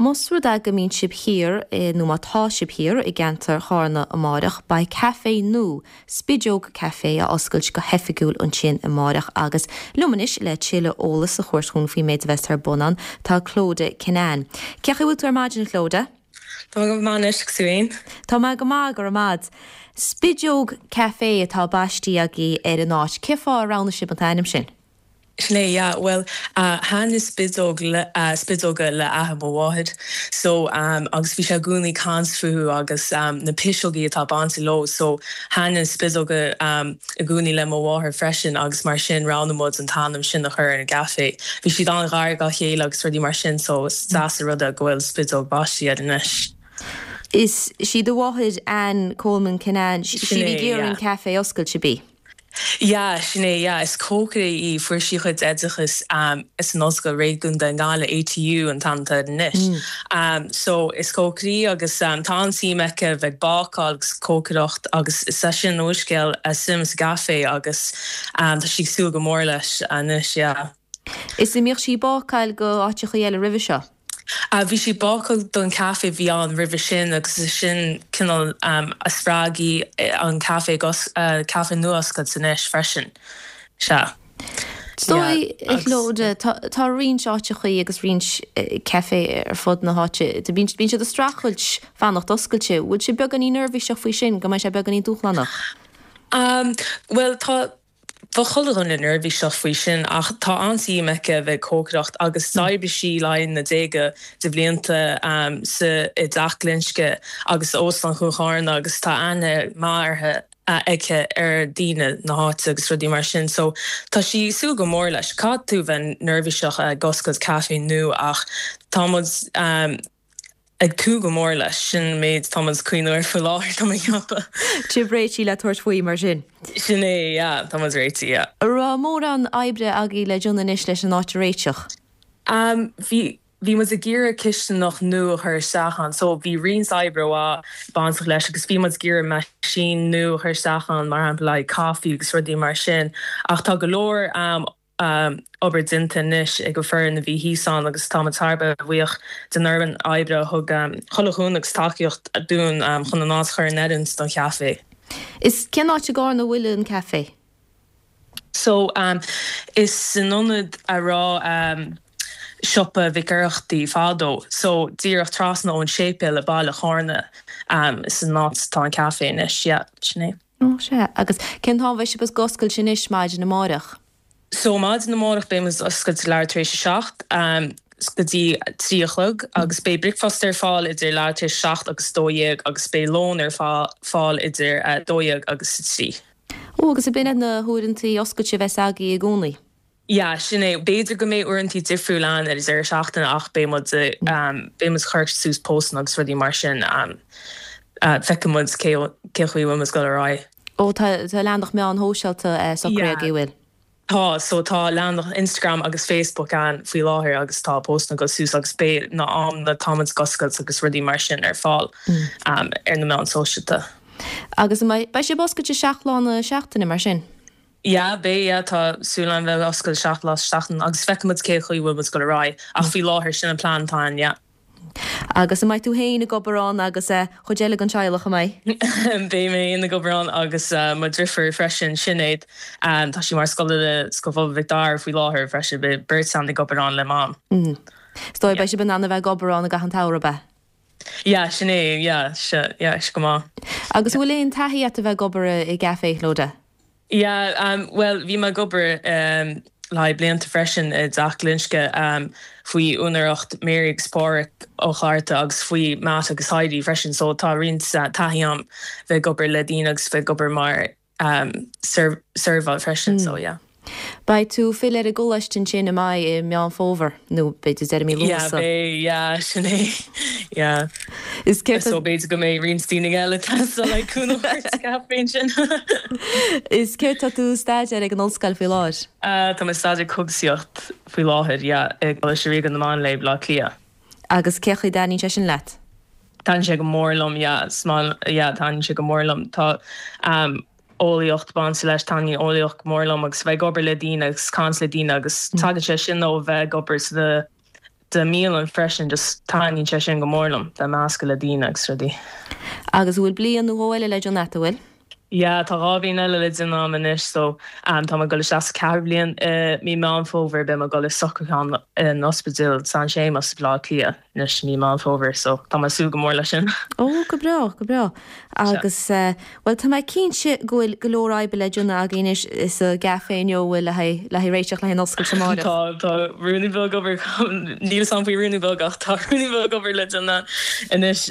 Más rud é go mbíonn sibh thiar i, nó má tá sibh thiar i gceantar Chárna amáireach, beidh caifé nua, Spideog Café, á oscailt go hoifigiúil ansin amáireach agus liom anois le tuilleadh eolas a thabhairt dhúinn faoin méid a bheas ar bun ann, tá Clodagh Kinane. Cén chaoi a bhfuil tú ar maidin, a Chlodagh? Tá mé go maith anois, agus tú fhéin? Tá mé go maith, go raibh maith a'd. Spideog Café atá baistí agaibh ar an áit. Cén fáth ar roghnaigh sibh an t-ainm sin? Sin é, yeah. Bhuel, thaitnigh spideog le, spideoga le athair mo mháthair. So, agus bhí sé i gcónaí ag caint fúthu agus na piseogaí atá bainte leo. So, thaitnigh spideoga i gcónaí le mo mháthair freisin agus mar sin roghnaigh muid an t-ainm sin a chur ar an gcaifé. Bhí siad an-ghar dá chéile agus rudaí mar sin so is deas an rud é go bhfuil Spideog baistí air anois. Is sí do mháthair Anne Coleman Kinane, sí a bhí ag iarraidh an caifé a oscailt, ab í? Yeah, sin é, yeah. Is cócaire í, fuair sí a cuid oideachais san Ollscoil Réigiúnda i nGaillimh, ATU an t-ainm atá air anois. So, is cócaire í agus tá an-suim aici a bheith ag bácáil agus cócaireacht agus is é sin an úrscéal a suim sa gcaifé agus tá sí ag súil go mór leis anois, yeah. Is an mbíodh sí ag bácáil go áiteachaí eile roimhe seo? Bhí sí ag bácáil don caife a bhí ann roimhe sin agus is sin cineál a spreag í an caife caife nua a oscailt anois freisin. Sea. Is dóigh, a Chlodagh, tá roinnt áiteachaí agus roinnt caife ar fud na háite, bíonn siad ag streachailt fanacht oscailte. Bhfuil sibh beagáinín neirbhíseach faoi sin, go mbeidh sé beagáinín dúshlánach? Bhuel, tá. Bheadh chuile dhuine neirbhíseach faoi sin ach tá an-suim aici a bheith ag cócaireacht agus d'oibrigh sí le haghaidh na déaga de bhlianta sa i dTeach Glinsce agus Óstán Chuan Charna agus tá aithne maith uirthi aici ar daoine na háite agus rudaí mar sin so tá sí ag súil go mór leis. Caithfidh tú bheith neirbhíseach ag oscailt caife nua ach tá muid ag tnúth go mór leis. Sin an méid atá muid ag cuimhneamh air faoi láthair, tá mé ag ceapadh. Sibh réitithe le tabhairt faoi, mar sin? Sin é, yeah, tá muid réitithe, yeah. An raibh mórán oibre agaibh le déanamh anois leis an áit a réiteach? Bhí, bhí muid ag iarraidh cisteanach nua a chur isteach ann, so bhí roinnt oibre mhaith bainteach leis agus bhí muid ag iarraidh meaisín nua a chur isteach ann, mar shampla le haghaidh coffee agus rudaí mar sin, ach tá go leor obair déanta anois ag an foireann a bhí thíos ann agus táimid thar a bheith buíoch den fhoireann oibre a thug chuile chúnamh agus tacaíocht dúinn chun an áit a chur in oiriúint don chaifé. Is cén áit i gCárna a bhfuil an caifé? So, is san ionad a raibh siopa Mhic Oireachtaigh fadó, so díreach trasna ón séipéal i baile Chárna is an áit atá an caifé anois, yeah, sin é. Ó, sea. Agus cén t-am a bheidh sibh ag oscailt anois maidin amáireach? So, maidin amárach beidh muid oscailte leathuair tar éis a 7 go dtí 3 a chlog agus beidh bricfeasta ar fáil idir leathuair tar éis a 7 agus 12 agus beidh lón ar fáil idir 12 agus 3. Ó, agus ab in iad na huaireantaí oscailte a bheas agaibh i gcónaí? Yeah, sin é. B'fhéidir go mbeidh uaireantaí difriúil ann ar an deireadh seachtaine ach beidh muid, beidh muid ag cur suas postanna agus rudaí mar sin. Feicfidh muid cé, cén chaoi a bhfuil muid ag dul ar aghaidh. Ó, tá, tá leathanach meán shóisialta socraithe agaibh, an bhfuil? Tá, so tá leathanach Instagram agus Facebook ann faoi láthair agus tá postanna ag dul suas agus beidh na amanna atá muid ag oscailt agus rudaí mar sin ar fáil ar na meáin sóisialta. Agus an mbeidh, beidh sibh oscailte 7 lá na seachtaine mar sin? Yeah, beidh, yeah, tá súil againn bheith oscailte 7 lá sa seachtain agus feicfidh muid cé chaoi bhfuil muid ag dul ar aghaidh ach faoi láthair sin an plean atá ann, yeah. Agus an mbeidh tú féin ag obair ann agus cuid eile den teaghlach, an mbeidh? Beidh mé féin ag obair ann agus mo dhriofúr freisin, Sinéad, tá sí mar scoláire Scoil Phobail Mhic Dara faoi láthair freisin, beidh beirt againn ag obair ann le Mam. Is dóigh beidh sibh in ann a bheith ag obair ann i gcaitheamh an tsamhraidh, ab ea? Yeah, sin é, yeah, sea, yeah, sea go maith. Agus an bhfuil aon taithí a't a bheith ag obair i gcaife, a Chlodagh? Yeah, bhuel, bhí mé ag obair le haghaidh blianta freisin i dTeach Glinsce faoi úinéireacht Mary agus Páraic Ó Clochartaigh agus faoi Matt agus Heidi freisin, so tá roinnt taithí a'm bheith ag obair le daoine agus bheith ag obair mar seirbheáil freisin so yeah. Beidh tú ag filleadh ar an gcoláiste ansin an mbeidh i Meán Fómhair nó b'fhéidir deireadh mí Yeah Lúnasa. beidh yeah sin é yeah. Is céard tá. So b'fhéidir go mbeidh roinnt daoine eile ag teastáil le cúnamh a thabhairt sa gcaifé ansin. Is céard tá tú ag staidéar ag an ollscoil faoi láthair? Tá mé ag staidéar cógaisíocht faoi láthair yeah i gColáiste Ríoga na Máinlia, Baile Átha Cliath. Agus cé chaoi a dtaitníonn sé sin leat? Taitníonn sé go mór liom, yeah, is maith, yeah, taitníonn sé go mór liom. Tá eolaíocht bainte leis, taitníonn eolaíocht go mór liom agus bheith ag obair le daoine agus caint le daoine agus tagann sé sin ó bheith ag obair sa. de mbialann freisin, just taitníonn sé sin go mór liom, bheith measctha le daoine agus rudaí. Agus an bhfuil bliain nó dhó eile le déanamh a't, an bhfuil? Yeah, tá 2 bhliain eile le déanamh a'm anois so tá mé ag dul isteach sa ceathrú bliain i mí Meán Fómhair, beidh mé ag dul i socrúchán in Ospidéal San Séamas i Bleá Cliath anois i mí Meán Fómhair so tá mé ag súil go mór leis sin. Ó, go breá, go breá. Agus, bhuel, tá mé cinnte go bhfuil go leor oibre le déanamh agaibh anois sa gcaifé inniu, bhfuil, le haghaidh, le haghaidh réiteach le haghaidh an oscailt amáireach? Tá, tá ruainnín beag obair, níl 'fhios a'm faoi ruainnín beag ach tá ruainnín beag obair le déanamh anois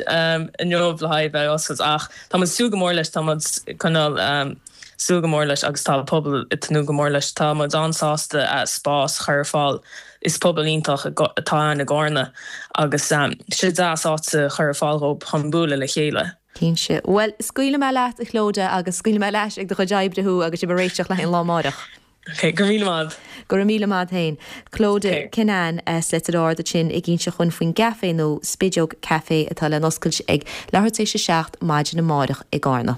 inniu le haghaidh bheith ag oscailt ach Tá muid ag súil go mór leis, tá muid coinneáil súil go mór leis agus tá an pobal ag tnúth go mór leis. Tá muid an-sásta spás a chur ar fáil. Is pobal iontach atá ann i gCárna agus tá sé deas áit a chur ar fáil dhóibh chun bualadh le chéile. Cinnte. Bhuel, scaoilfidh mé leat, a Chlodagh, agus scaoilfidh mé leat ag do chuid oibre thú agus sibh ag réiteach le haghaidh an lá amáireach. Ok, go raibh míle maith. Go raibh míle maith féin. Clodagh Kinane as Leitir Ard ansin ag inse dhúinn faoin gcaifé nua, Spideog Café, atá le n-oscailt ag leathuair tar éis a 7 maidin amáireach i gCárna.